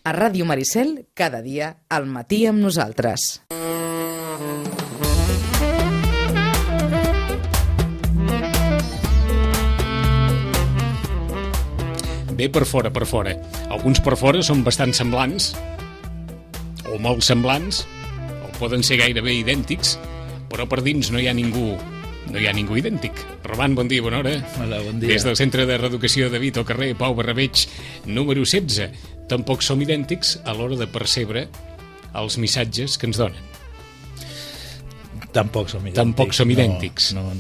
A Ràdio Maricel, cada dia, al matí amb nosaltres. Bé, per fora. Alguns per fora són bastant semblants, o molt semblants, o poden ser gairebé idèntics, però per dins no hi ha ningú idèntic. Roman, bon dia, bona hora. Hola, bon dia. Des del Centre de Reeducació de Vito, carrer Pau Barrabeig, número 16. Tampoc som idèntics a l'hora de percebre els missatges que ens donen. Tampoc som idèntics. No.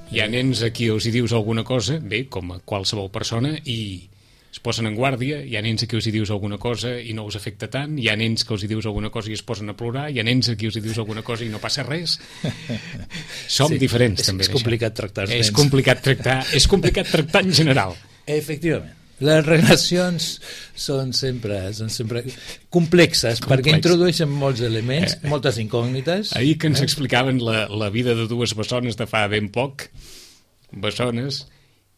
Hi ha nens a qui els hi dius alguna cosa, bé, com a qualsevol persona, i es posen en guàrdia. Hi ha nens a qui els hi dius alguna cosa i no us afecta tant. Hi ha nens que els hi dius alguna cosa i es posen a plorar. Hi ha nens a qui els hi dius alguna cosa i no passa res. Som diferents, també. És complicat tractar els nens. És complicat tractar en general. Efectivament. Les relacions són sempre complexes, perquè introdueixen molts elements, moltes incògnites. Ahir que ens explicaven la vida de dues bessones de fa ben poc, bessones,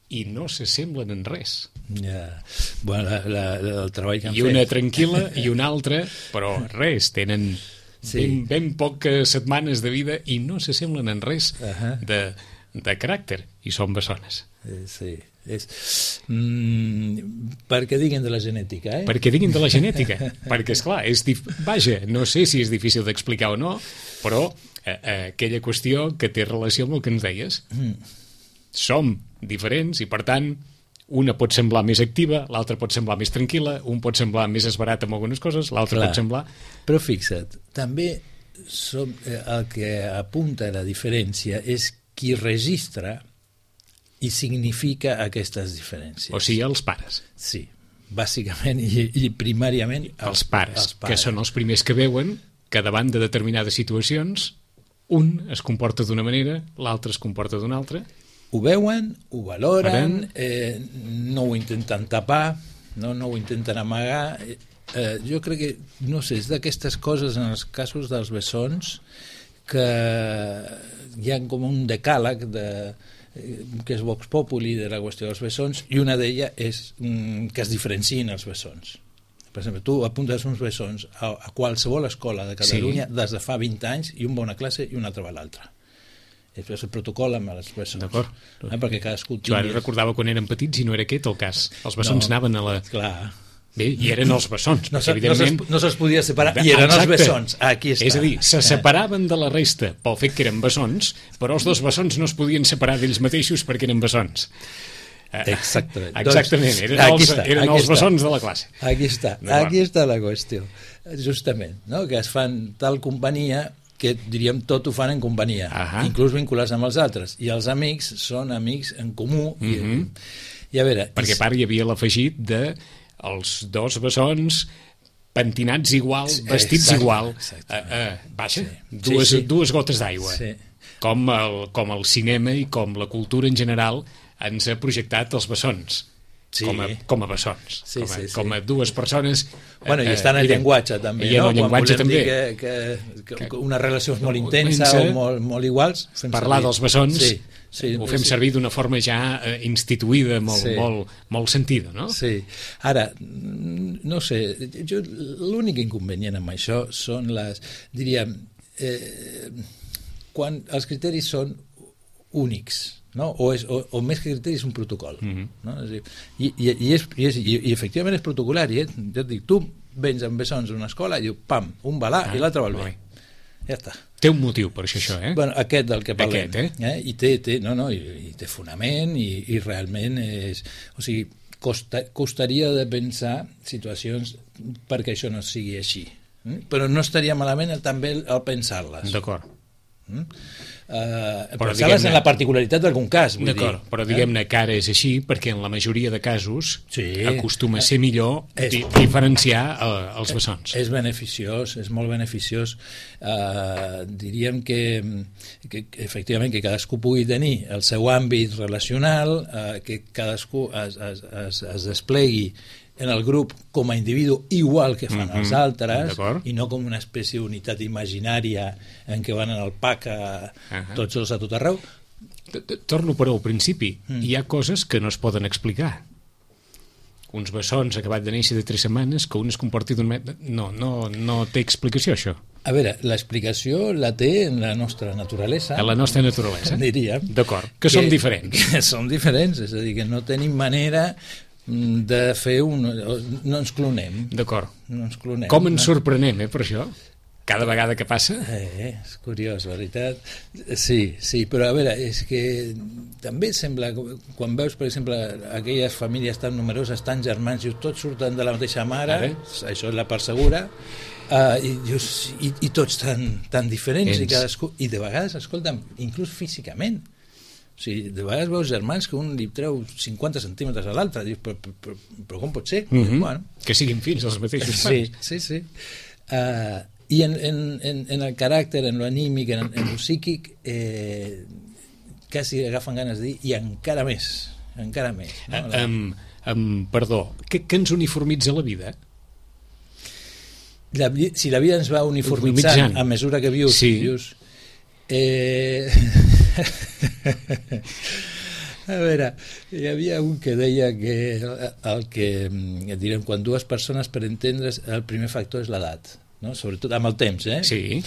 i no s'assemblen en res. Ja. Bueno, el treball que han fet. I una tranquil·la i una altra, però res, tenen ben poques setmanes de vida i no s'assemblen en res de caràcter, i són bessones. Sí. Perquè diguin de la genètica, Perquè diguin de la genètica, perquè esclar, vaja, no sé si és difícil d'explicar o no, però aquella qüestió que té relació amb el que ens deies. Som diferents i, per tant, una pot semblar més activa, l'altra pot semblar més tranquil·la, un pot semblar més esverat amb algunes coses, l'altre pot semblar... Però fixa't, també el que apunta a la diferència és qui registra i significa aquestes diferències. O sigui, els pares. Sí, bàsicament i primàriament els pares, que són els primers que veuen que davant de determinades situacions un es comporta d'una manera, l'altre es comporta d'una altra. Ho veuen, ho valoren, no ho intenten tapar, no ho intenten amagar. Jo crec que, no sé, és d'aquestes coses en els casos dels bessons que hi ha com un decàleg que és Vox Populi de la qüestió dels bessons, i una d'elles és que es diferenciïn els bessons. Per exemple, tu apuntes uns bessons a qualsevol escola de Catalunya des de fa 20 anys, i un va a una classe i un altre va a l'altra. És el protocol amb els bessons. D'acord. Perquè cadascú Jo ara recordava quan érem petits i no era aquest el cas. Els bessons anaven a la... Clar. Bé, i eren els bessons. No se'ls podia separar, i eren els bessons. Aquí està. És a dir, se separaven de la resta pel fet que eren bessons, però els dos bessons no es podien separar d'ells mateixos perquè eren bessons. Exactament. Eren els bessons de la classe. Aquí està la qüestió. Justament, no? Que es fan tal companyia que, diríem, tot ho fan en companyia, inclús vinculats amb els altres. I els amics són amics en comú. I a veure... Perquè a part hi havia l'afegit de els dos bessons pentinats igual, vestits igual. Vaja, dues gotes d'aigua. Com el cinema i com la cultura en general ens ha projectat els bessons. Com a bessons, com a dues persones. Bueno, i està en el llenguatge també, no? Quan volem dir que una relació és molt intensa o molt iguals, parlar dels bessons ho fem servir d'una forma ja instituïda, molt sentida, no? Sí. Ara, no sé, l'únic inconvenient amb això són diríem, quan els criteris són únics, no? O més que criteris, un protocol, no? I efectivament és protocolari, jo et dic, tu vens amb bessons a una escola i diu, pam, un va là i l'altre va al bé, ja està. Té un motiu per això, Bueno, aquest del que parlem, i té fonament, i realment és, o sigui, costaria de pensar situacions perquè això no sigui així, però no estaria malament també el pensar-les. D'acord. Pensar-les en la particularitat d'algun cas, d'acord, però diguem-ne que ara és així perquè en la majoria de casos acostuma a ser millor diferenciar els bessons. És beneficiós, és molt beneficiós. Diríem que efectivament que cadascú pugui tenir el seu àmbit relacional, que cadascú es desplegui en el grup com a individu igual que fan els altres, i no com una espècie d'unitat imaginària en què van en el pack tots dos a tot arreu. Torno però al principi. Hi ha coses que no es poden explicar. uns bessons acabat de néixer de 3 setmanes, que un es comporti d'un metre... No té explicació, això. A veure, l'explicació la té en la nostra naturalesa. En la nostra naturalesa. Diríem. D'acord, que som diferents. Que som diferents, és a dir, que no tenim manera de fer no ens clonem. D'acord. No ens clonem. Com ens sorprenem, per això? Cada vegada que passa? És curiós, veritat. Sí, però a veure, és que també sembla, quan veus, per exemple, aquelles famílies tan numeroses, tan germans, i tots surten de la mateixa mare, això és la part segura, i tots tan diferents, i cadascú, i de vegades, escolta'm, inclús físicament. O sigui, de vegades veus germans que un li treu 50 centímetres a l'altre, dius, però com pot ser? Bueno. Que siguin fills els mateixos pares. Sí. I en el caràcter, en l'anímic, en el psíquic, quasi agafen ganes de dir, i encara més. No? Perdó, què ens uniformitza la vida? Si la vida ens va uniformitzant a mesura que vius... A veure, hi havia un que deia que direm, quan dues persones, per entendre's, el primer factor és l'edat, no? Sobretot amb el temps, Sí.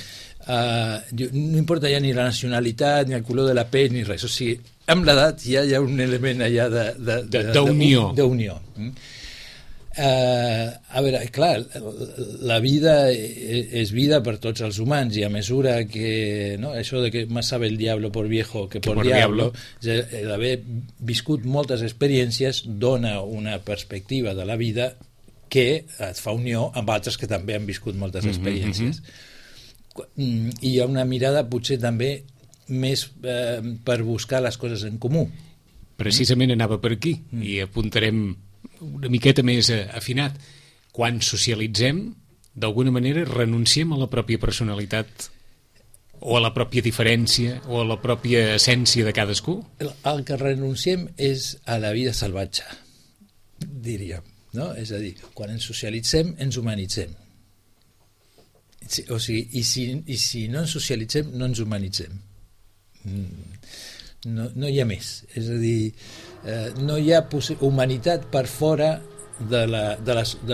No importa ja ni la nacionalitat, ni el color de la pell, ni res. O sigui, amb l'edat ja hi ha un element allà d'unió. A veure, clar, la vida és vida per tots els humans, i a mesura que, no, això de que más sabe el diablo por viejo que por diablo, d'haver viscut moltes experiències dona una perspectiva de la vida que et fa unió amb altres que també han viscut moltes experiències. I hi ha una mirada potser també més per buscar les coses en comú. Precisament anava per aquí, i apuntarem una miqueta més afinat. Quan socialitzem, d'alguna manera renunciem a la pròpia personalitat o a la pròpia diferència o a la pròpia essència de cadascú? El que renunciem és a la vida salvatge, diríem, no? És a dir, quan ens socialitzem ens humanitzem, o sigui, i si no ens socialitzem no ens humanitzem, no hi ha més, és a dir, no hi ha humanitat per fora de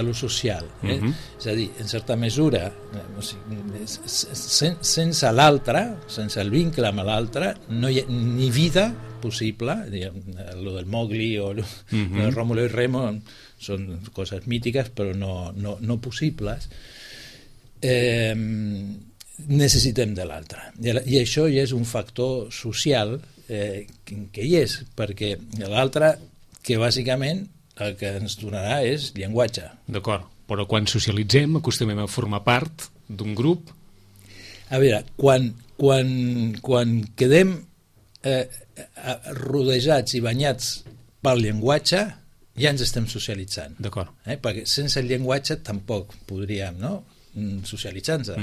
lo social, és a dir, en certa mesura, o sigui, sense l'altre, sense el vincle amb l'altre, no hi ha ni vida possible. Lo del Mowgli o lo de Rómulo i Remo són coses mítiques però no possibles. Necessitem de l'altre, i això ja és un factor social que hi és, perquè l'altre, que bàsicament el que ens donarà és llenguatge. D'acord, però quan socialitzem acostumem a formar part d'un grup. A veure, quan quedem rodejats i banyats pel llenguatge, ja ens estem socialitzant. D'acord. Perquè sense el llenguatge tampoc podríem, no?, socialitzar-nos.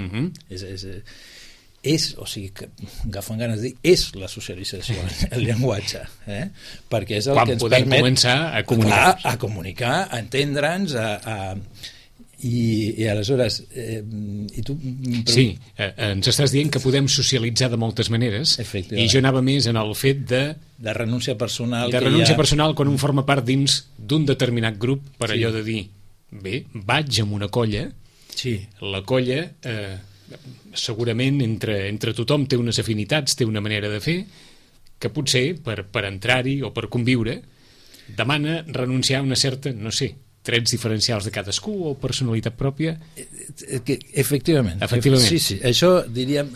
O sigui, que agafen ganes de dir, és la socialització, el llenguatge, perquè és el que ens permet... Quan podem començar a comunicar. A comunicar, a entendre'ns, i aleshores... Sí, ens estàs dient que podem socialitzar de moltes maneres, i jo anava més en el fet de renúncia personal. De renúncia personal quan un forma part dins d'un determinat grup, per allò de dir, bé, vaig amb una colla, la colla... segurament entre tothom té unes afinitats, té una manera de fer que potser per entrar-hi o per conviure demana renunciar a una certa, no sé, trets diferencials de cadascú o personalitat pròpia. Efectivament. Sí, això diríem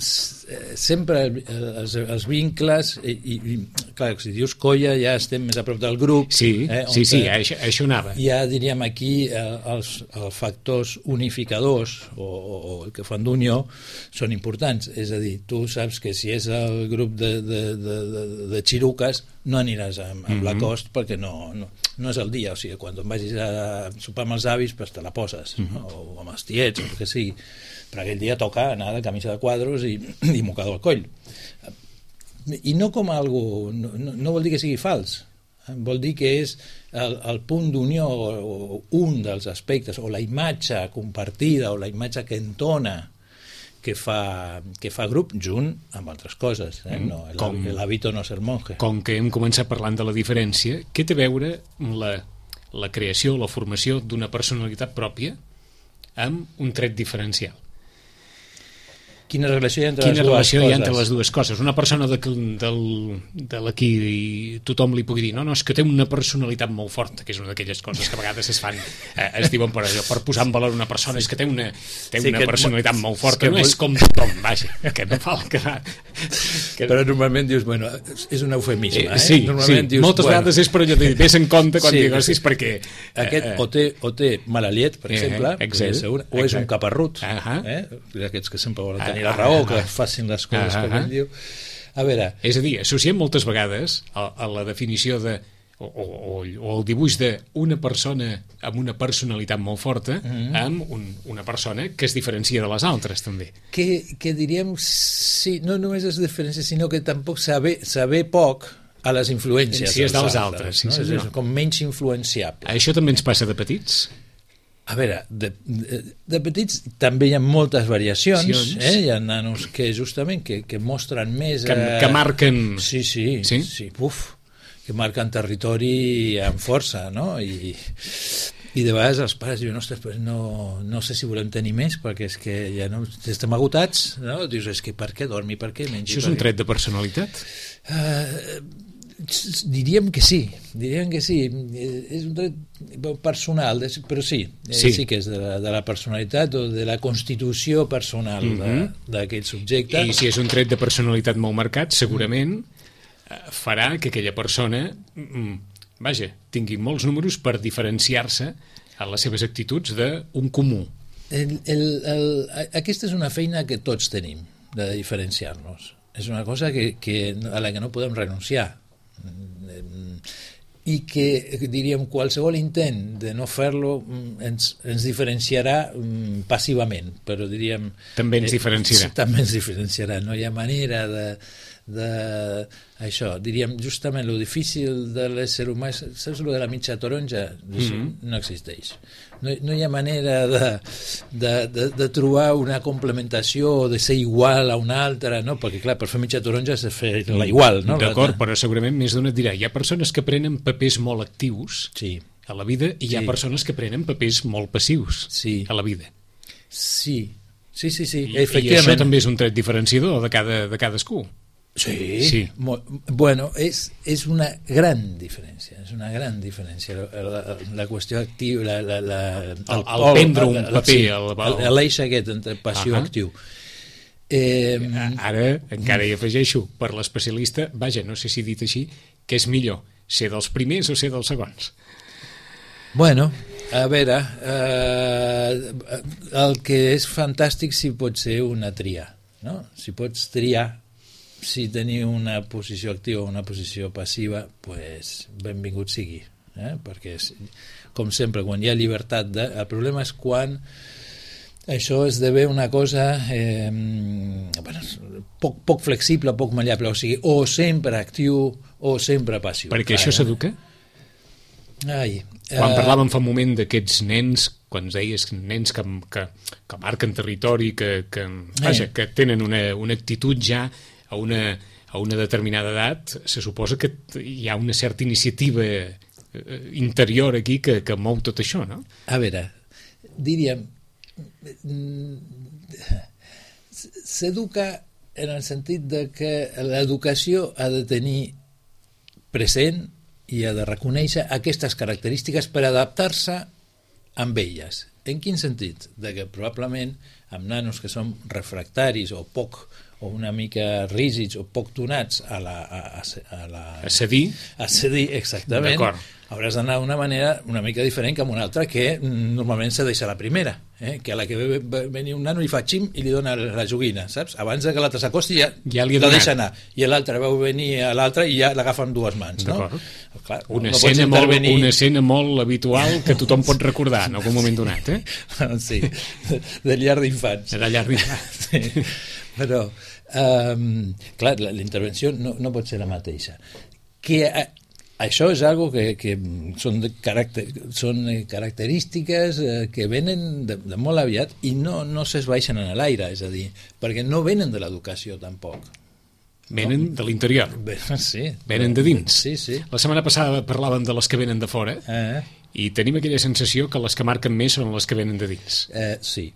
sempre els vincles i clar, si dius colla ja estem més a prop del grup. Sí, això anava. Ja diríem aquí els factors unificadors o el que fan d'unió són importants, és a dir, tu saps que si és el grup de xiruques no aniràs amb Lacoste perquè no és el dia, o sigui, quan vagis a sopar amb els avis pues te la poses, o amb els tiets o el que sigui, però aquell dia toca anar de camisa de quadros i mocador al coll, i no com algo, no vol dir que sigui fals, vol dir que és el punt d'unió o un dels aspectes o la imatge compartida o la imatge que entona que fa grup junt amb altres coses, el hábito no ser monje. Com que hem començat parlant de la diferència, què té a veure la creació, la formació d'una personalitat pròpia amb un tret diferencial. Quina relació hi ha entre les dues coses? Una persona de la qui tothom li pugui dir no, és que té una personalitat molt forta, que és una d'aquelles coses que a vegades es diuen per posar en valor una persona, és que té una personalitat molt forta, no és com tothom, vaja, que no fa el que va. Però normalment dius, bueno, és un eufemisme, Sí, moltes vegades és per allò de dir, vés en compte quan digues, perquè... Aquest o té mala llet, per exemple, o és un caparrut, d'aquests que sempre volen tenir la raó, que facin les coses com ell diu. A veure... És a dir, associem moltes vegades a la definició de o el dibuix d'una persona amb una personalitat molt forta amb una persona que es diferencia de les altres, també. Que diríem, sí, no només es diferencia, sinó que tampoc saber poc a les influències dels altres. No? És com menys influenciable. Això també ens passa de petits? A veure, de petits també hi ha moltes variacions, hi ha nanos que justament que mostren més... Que marquen... Sí, que marquen territori amb força, no? I de vegades els pares diuen, ostres, pues no sé si volem tenir més, perquè és que ja no estem agotats, no? Dius, és que per què dormi, per què mengi? Això és un tret de personalitat? Diríem que sí, és un tret personal, però sí que és de la personalitat o de la constitució personal d'aquell subjecte. I si és un tret de personalitat molt marcat, segurament farà que aquella persona tingui molts números per diferenciar-se a les seves actituds d'un comú. Aquesta és una feina que tots tenim, de diferenciar-nos. És una cosa a la que no podem renunciar, i que, diríem, qualsevol intent de no fer-lo ens diferenciarà passivament, però diríem... També ens diferenciarà. També ens diferenciarà, no hi ha manera això, diríem, justament lo difícil de l'ésser humà, saps lo de la mitja taronja? No existeix. No hi ha manera de trobar una complementació o de ser igual a una altra, no? Perquè clar, per fer mitja taronja has de fer la igual, no? D'acord, però segurament més d'una et dirà, hi ha persones que prenen papers molt actius a la vida i hi ha persones que prenen papers molt passius a la vida. Sí, efectivament. I això també és un tret diferenciador de cadascú. Sí. Bueno, és una gran diferència, la qüestió activa, el prendre un paper, l'eix aquest entre passió i actiu. Ara encara hi afegeixo, per l'especialista, vaja, no sé si dit així, que és millor ser dels primers o ser dels segons. Bueno, a veure, el que és fantàstic si pot ser una tria, no? Si pots triar si tenir una posició activa o una posició passiva, pues benvingut sigui, perquè com sempre, quan hi ha llibertat el problema és quan això esdevé una cosa poc flexible, poc mallable, o sigui, o sempre actiu o sempre passiu. Perquè això s'educa? Quan parlàvem fa un moment d'aquests nens, quan ens deies nens que marquen territori, que tenen una actitud ja a una determinada edat, se suposa que hi ha una certa iniciativa interior aquí que mou tot això, no? A veure, diríem, s'educa en el sentit de que l'educació ha de tenir present i ha de reconèixer aquestes característiques per adaptar-se amb elles. En quin sentit? De que probablement amb nanos que són refractaris o una mica rígids o poc donats a cedir, exactament, hauràs d'anar d'una manera una mica diferent que amb una altra que normalment se deixa la primera, que a la que ve venir un nano li fa xim i li dona la joguina, saps? Abans que l'altre s'acosti ja la deixa anar, i l'altre veu venir a l'altre i ja l'agafa amb dues mans, no? Clar, una escena molt habitual que tothom pot recordar en algun moment donat, sí, de llar d'infants, sí. Però clar, la intervenció no pot ser la mateixa, que això és algo que són característiques que venen de molt aviat i no s'esbaixen en l'aire, és a dir, perquè no venen de l'educació tampoc. Venen de l'interior. Sí. Venen de dins. Sí. La setmana passada parlàvem de les que venen de fora i tenim aquella sensació que les que marquen més són les que venen de dins. Sí.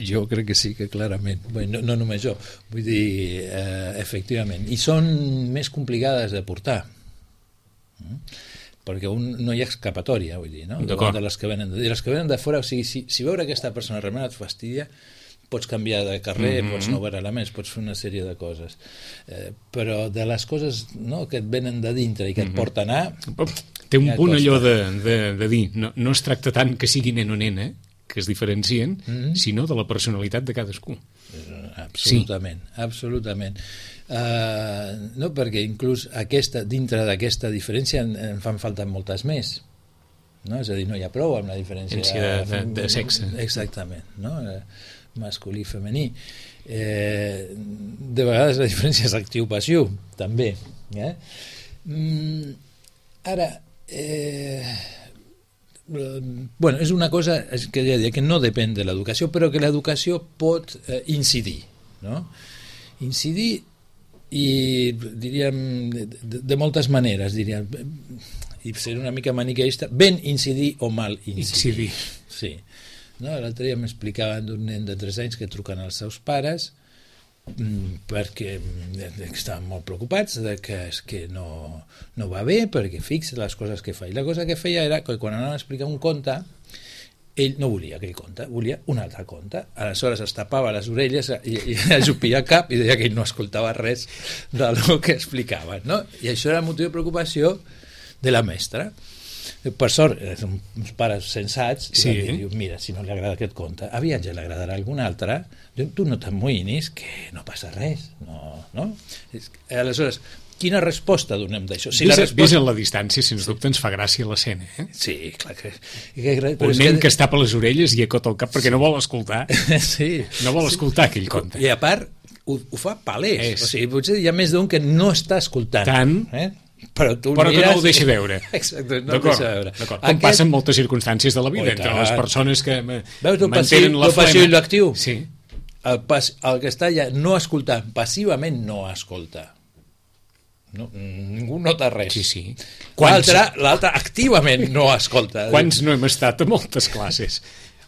Jo crec que sí, que clarament. Bé, no només jo, vull dir, efectivament. I són més complicades de portar. Perquè no hi ha escapatòria, vull dir, no? De les que venen de fora, o sigui, si veure aquesta persona realment et fastidia, pots canviar de carrer, pots no veure-la més, pots fer una sèrie de coses. Però de les coses que et venen de dintre i que et porten a... Té un punt allò de dir, no es tracta tant que sigui nen o nena, que es diferencien, sinó de la personalitat de cadascú. Absolutament, absolutament. No, perquè inclús dintre d'aquesta diferència en fan falta moltes més. No? És a dir, no hi ha prou amb la diferència de sexe. Exactament, no? Masculí i femení. De vegades la diferència és actiu-passiu, també. Ara, bueno, és una cosa que no depèn de l'educació, però que l'educació pot incidir, no? Incidir, i diríem de moltes maneres, diríem, i ser una mica maniqueista, ben incidir o mal incidir. Sí. No? L'altre dia m'explicaven d'un nen de 3 anys que truquen als seus pares perquè estaven molt preocupats de que és que no va bé, perquè fixa les coses que fa. I la cosa que feia era que quan anaven a explicar un conte, ell no volia aquell conte, volia un altre conte. Aleshores es tapava les orelles i ajupia el cap i deia que ell no escoltava res del que explicaven, no? I això era motiu de preocupació de la mestra. Per sort, uns pares sensats, diu, mira, si no li agrada aquest conte, aviat ja li agradarà algun altre, tu no t'amoïnis, que no passa res, no? Aleshores, quina resposta donem d'això? Vist en la distància, sens dubte ens fa gràcia l'escena, eh? Sí, clar que... Un nen que es tapa les orelles i acota el cap perquè no vol escoltar. Sí. No vol escoltar aquell conte. I a part, ho fa palès. O sigui, potser hi ha més d'un que no està escoltant. Tant... Però que no ho deixa veure. Exacte, no ho deixa veure. Com passa en moltes circumstàncies de la vida, entre les persones que mantenen la flema. Veus el passiu i l'actiu? Sí. El que està allà no escoltant, passivament no escolta. Ningú nota res. Sí. L'altre activament no escolta. Quants no hem estat a moltes classes?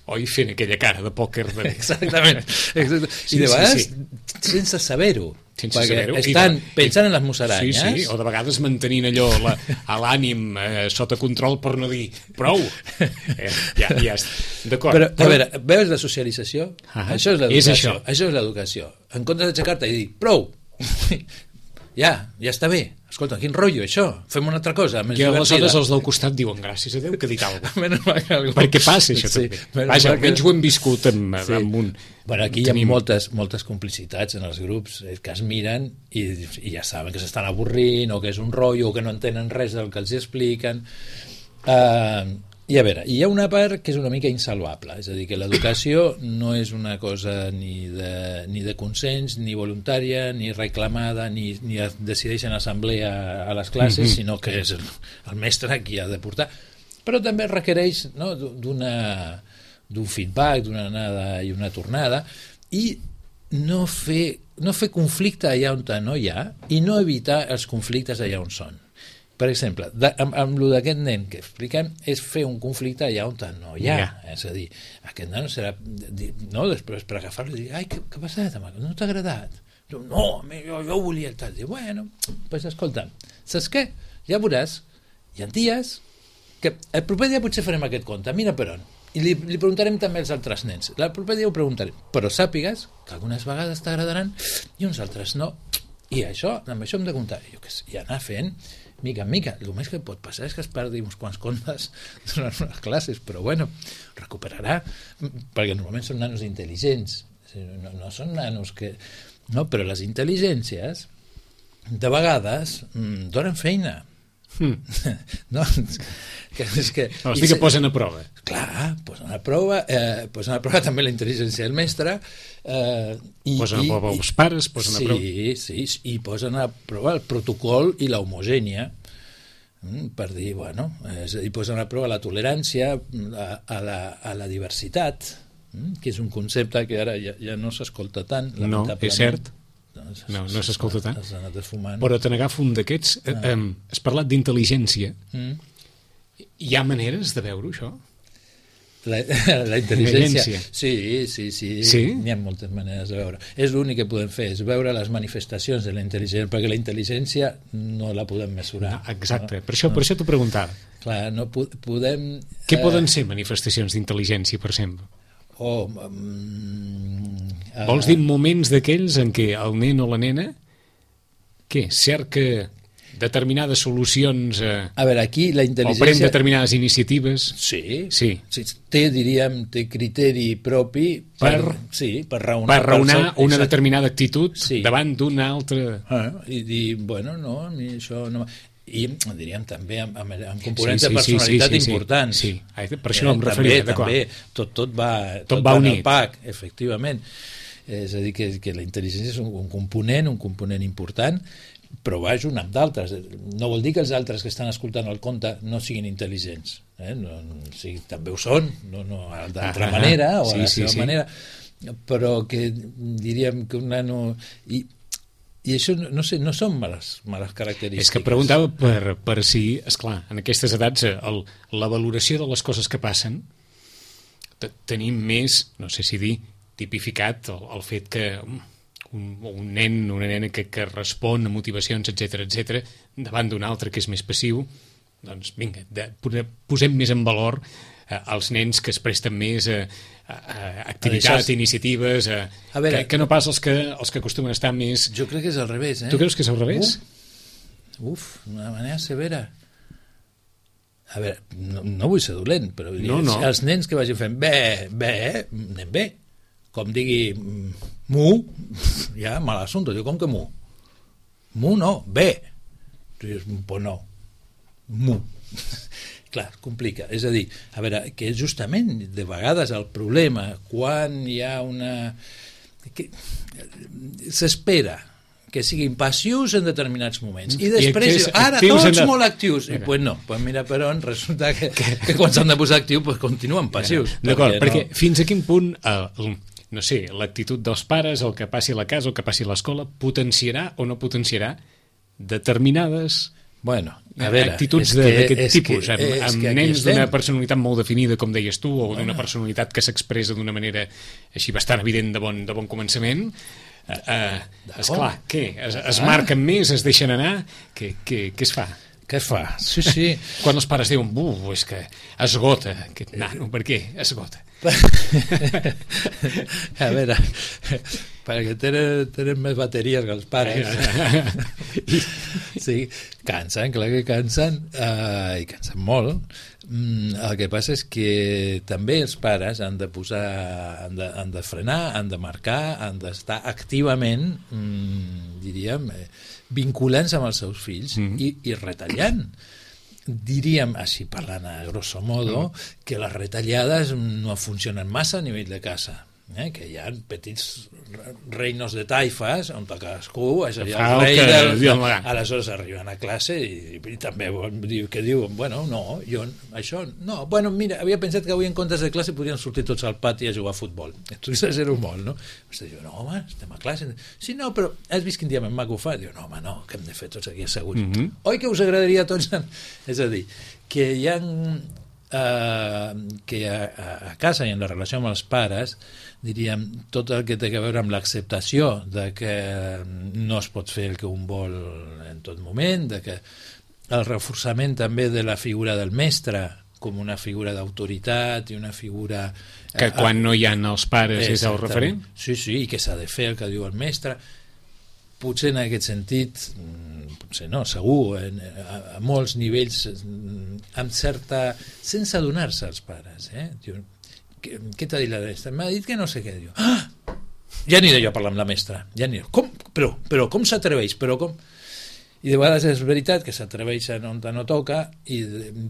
Oi, fent aquella cara de pòquer. Exactament. I de vegades, sense saber-ho. Estan pensant en les musaranyes. Sí, o de vegades mantenint allò l'ànim sota control per no dir prou. Ja d'acord. Però, a veure, veus la socialització? Això és l'educació. Això és l'educació. En comptes d'aixecar-te i dir prou, ja està bé. Escolta, quin rotllo, això? Fem una altra cosa més divertida. I aleshores els del costat diuen gràcies a Déu que ha dit alguna cosa. Perquè passa això també. Vaja, almenys ho hem viscut amb un... Bueno, aquí hi ha moltes complicitats en els grups que es miren i ja saben que s'estan avorrint o que és un rotllo o que no entenen res del que els expliquen. I a veure, hi ha una part que és una mica insalvable, és a dir, que l'educació no és una cosa ni de consens, ni voluntària, ni reclamada, ni es decideix en assemblea a les classes, sinó que és el mestre qui ha de portar. Però també requereix d'un feedback, d'una anada i una tornada, i no fer conflicte allà on no hi ha i no evitar els conflictes allà on són. Per exemple, amb el d'aquest nen que expliquem és fer un conflicte allà on no hi ha. És a dir, aquest nen serà... No, després per agafar-lo i dir, ai, què ha passat? No t'ha agradat? No, jo volia el tal. Diu, bueno, doncs escolta, saps què? Ja veuràs, hi ha dies que el proper dia potser farem aquest conte, mira per on. I li preguntarem també als altres nens. El proper dia ho preguntarem. Però sàpigues que algunes vegades t'agradaran i uns altres no. I amb això hem de comptar. I anar fent mica en mica. El més que pot passar és que es perdi uns quants contes durant unes classes, però bueno, recuperarà, perquè normalment són nanos intel·ligents, no són nanos que... No, però les intel·ligències de vegades donen feina. No, que posen a prova. Clar, posen a prova també la intel·ligència del mestre, posen a prova els pares, posen a prova... Sí, i posen a prova el protocol i l'homogènia, per dir, bueno, és a dir, posen a prova la tolerància a la diversitat, que és un concepte que ara ja no s'escolta tant, lamentablement. No, és cert. No s'escolta tant. Però te n'agafo un d'aquests. Has parlat d'intel·ligència Hi ha maneres de veure això? La intel·ligència. Sí. N'hi ha moltes maneres de veure. És l'únic que podem fer, és veure les manifestacions de la intel·ligència, perquè la intel·ligència no la podem mesurar. No, exacte, per això t'ho preguntava. Clar, no podem... Què poden ser manifestacions d'intel·ligència, per exemple? Vols dir moments d'aquells en què el nen o la nena cerca determinades solucions a veure, aquí la intel·ligència... o pren determinades iniciatives? Sí. Té criteri propi per raonar una determinada actitud davant d'una altra... I dir, bueno, no, a mi això no... I diríem també amb components de personalitat importants. Sí. Per això no em referia. També, tot va unit. Pack, efectivament. És a dir, que la intel·ligència és un component important, però va junt amb d'altres. No vol dir que els altres que estan escoltant el conte no siguin intel·ligents. També ho són, d'altra manera o a la seva manera, però que diríem que un nano... I això, no sé, no són males característiques. És que preguntava per si, esclar, en aquestes edats la valoració de les coses que passen tenim més, no sé si dir, tipificat el fet que un nen, una nena que respon a motivacions, etc davant d'un altre que és més passiu, doncs vinga, posem més en valor els nens que es presten més a activitat, iniciatives, que no pas els que acostumen a estar més... Jo crec que és al revés. Tu creus que és al revés? D'una manera severa. A veure, no vull ser dolent, però els nens que vagin fent anem bé. Com digui mu, ja mal assumpte. Diu, com que mu? Mu no, bé. Tu dius, pues no. Mu. Clar, complica. És a dir, a veure, que justament de vegades el problema quan hi ha s'espera que siguin passius en determinats moments i després ara tots molt actius i pues no, pues mira per on resulta que quan s'han de posar actius pues continuen passius. D'acord, perquè fins a quin punt no sé, l'actitud dels pares, el que passi a la casa, el que passi a l'escola, potenciarà o no potenciarà determinades actituds d'aquest tipus, amb nens d'una personalitat molt definida, com deies tu, o d'una personalitat que s'expressa d'una manera així bastant evident de bon començament. Esclar, què? Es marquen més, es deixen anar? Què es fa? Què es fa? Sí. Quan els pares diuen, és que esgota aquest nano, per què esgota? A veure, perquè tenen més bateries que els pares. Sí, cansen, clar que cansen, i cansen molt. El que passa és que també els pares han de han de frenar, han de marcar, han d'estar activament, diríem, vinculant-se amb els seus fills i retallant. Diríem, així parlant a grosso modo, que les retallades no funcionen massa a nivell de casa, que hi ha petits reinos de taifes on cadascú és allà el rei aleshores arriben a classe i també diuen, bueno, no, jo això, no, bueno, mira, havia pensat que avui en comptes de classe podrien sortir tots al pati a jugar a futbol. Tu exagero molt, no? Diu, no, home, estem a classe. Sí, no, però has vist quin dia més maco fa? Diu, no, home, no, que hem de fer tots aquí asseguts. Oi que us agradaria a tots? És a dir, que hi ha que a casa i en la relació amb els pares, diríem, tot el que té a veure amb l'acceptació de que no es pot fer el que un vol en tot moment, de que el reforçament també de la figura del mestre com una figura d'autoritat i una figura... Que quan no hi ha els pares és el referent? Sí, i que s'ha de fer el que diu el mestre. Potser en aquest sentit, potser no, segur, a molts nivells, amb certa... sense adonar-se als pares, diu, què t'ha dit la mestra? M'ha dit que no sé què. Diu, ja aniré jo a parlar amb la mestra. Ja aniré. Com? Però com s'atreveix? I de vegades és veritat que s'atreveixen on no toca,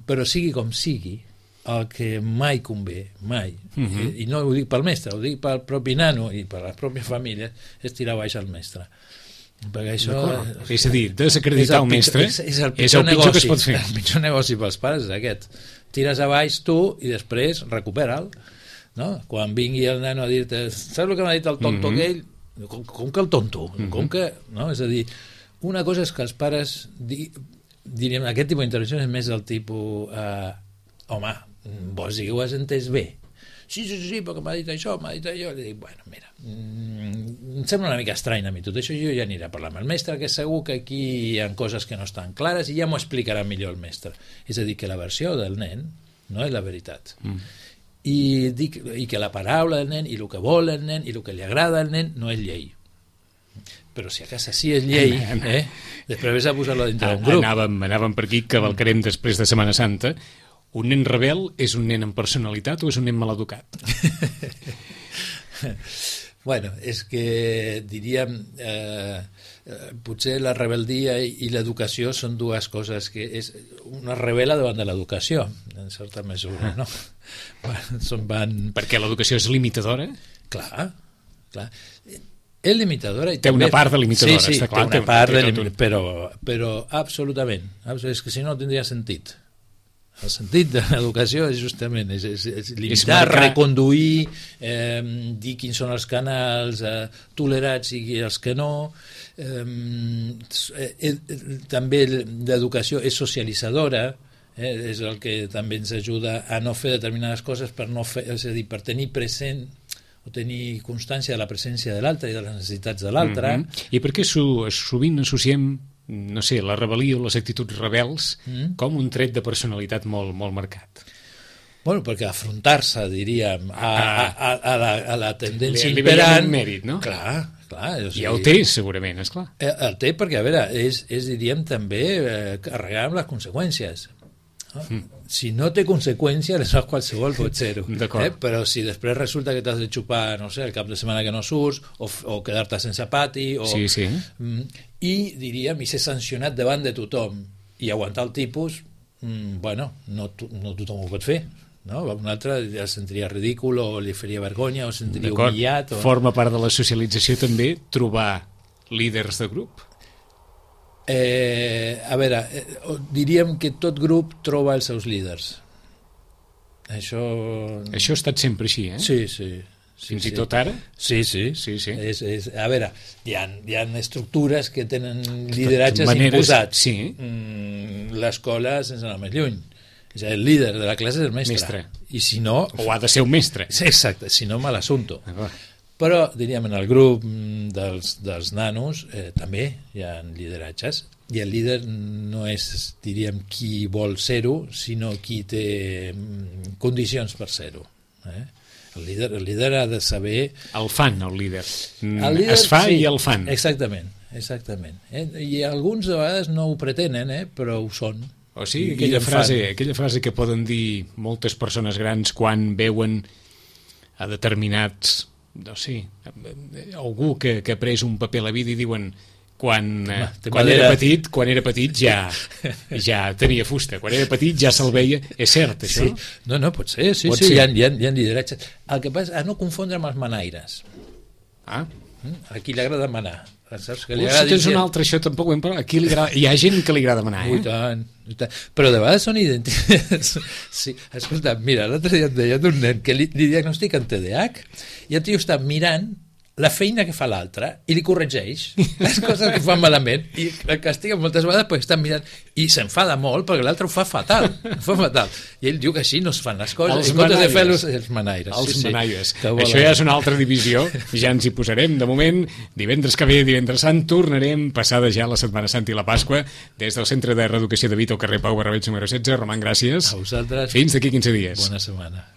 però sigui com sigui, el que mai convé, mai, i no ho dic pel mestre, ho dic pel propi nano i per la pròpia família, és tirar baix al mestre. Perquè això... És a dir, desacreditar el mestre és el pitjor que es pot fer. El pitjor negoci pels pares és aquest. Tires a baix tu i després recupera'l. No? Quan vingui el nano a dir-te, saps el que m'ha dit el tonto aquell? Com que el tonto? Com que... No? És a dir, una cosa és que els pares diríem, aquest tipus d'intervenció és més del tipus home, vols dir que ho has entès bé? Sí, perquè m'ha dit això, jo li dic, bueno, mira, em sembla una mica estrany a mi tot això, jo ja aniré a parlar amb el mestre, que segur que aquí hi ha coses que no estan clares i ja m'ho explicarà millor el mestre. És a dir, que la versió del nen no és la veritat. I que la paraula del nen i el que vol el nen i el que li agrada al nen no és llei. Però si a casa sí és llei, després vés a posar-lo dintre d'un grup. Anàvem per aquí, cavalcarem després de Setmana Santa. Un nen rebel és un nen amb personalitat o és un nen maleducat? Bueno, és que diríem potser la rebeldia i l'educació són dues coses que és una rebel·la davant de l'educació en certa mesura, no? Perquè l'educació és limitadora? Clar. És limitadora i té una part de limitadora, està clar. Té una part però absolutament. És que si no tindria sentit. El sentit de l'educació és justament és limitar, reconduir, dir quins són els canals tolerats i els que no. També l'educació és socialitzadora, és el que també ens ajuda a no fer determinades coses per tenir present o tenir constància de la presència de l'altre i de les necessitats de l'altre. I per què sovint associem, no sé, la rebel·lia o les actituds rebels com un tret de personalitat molt, molt marcat? Bueno, perquè afrontar-se, diríem, a la tendència imperant... Li veiem un mèrit, no? Clar. I el té, segurament, esclar. El té perquè, a veure, és diríem, també carregar amb les conseqüències. Si no té conseqüència, aleshores qualsevol pot ser-ho. Però si després resulta que t'has de xupar, no sé, el cap de setmana que no surts, o quedar-te sense pati, i diríem, i ser sancionat davant de tothom i aguantar el tipus, bueno, no tothom ho pot fer, no? Un altre el sentiria ridícul o li faria vergonya o el sentiria humillat. Forma part de la socialització també trobar líders de grup? A veure, diríem que tot grup troba els seus líders. Això ha estat sempre així, eh? Sí. Fins i tot ara? Sí. A veure, hi ha estructures que tenen lideratges imposats. L'escola, sense anar més lluny, el líder de la classe és el mestre. I si no... O ha de ser un mestre. Exacte, si no, mal assumpto. Però, diríem, en el grup dels nanos també hi ha lideratges, i el líder no és, diríem, qui vol ser-ho, sinó qui té condicions per ser-ho. El líder ha de saber... El fan, el líder. Es fa i el fan. Exactament. I alguns de vegades no ho pretenen, però ho són. O sigui, aquella frase que poden dir moltes persones grans quan veuen a determinats... no sé, algú que ha pres un paper a la vida i diuen quan era petit ja tenia fusta, quan era petit ja se'l veia, és cert això? No, pot ser, sí, hi ha lideratges. El que passa és no confondre amb els manaires. A qui li agrada manar. Tens un altre, això tampoc ho hem parlat. Hi ha gent que li agrada manar, I tant. Però de vegades són idèntics. Sí, escolta, mira, l'altre dia et deia d'un nen que li diagnostiquen TDAH i el tio està mirant la feina que fa l'altre i li corregeix les coses que fan malament i el castiga moltes vegades perquè està mirant i s'enfada molt perquè l'altre ho fa fatal. I ell diu que així no es fan les coses. Els manaires. Els manaires. Això ja és una altra divisió, ja ens hi posarem. De moment, divendres que ve, divendres sant, tornarem passada ja la Setmana Santa i la Pasqua des del Centre de Reeducació de Vita al carrer Pau Barrabets número 16. Roman, gràcies. A vosaltres. Fins d'aquí 15 dies. Bona setmana.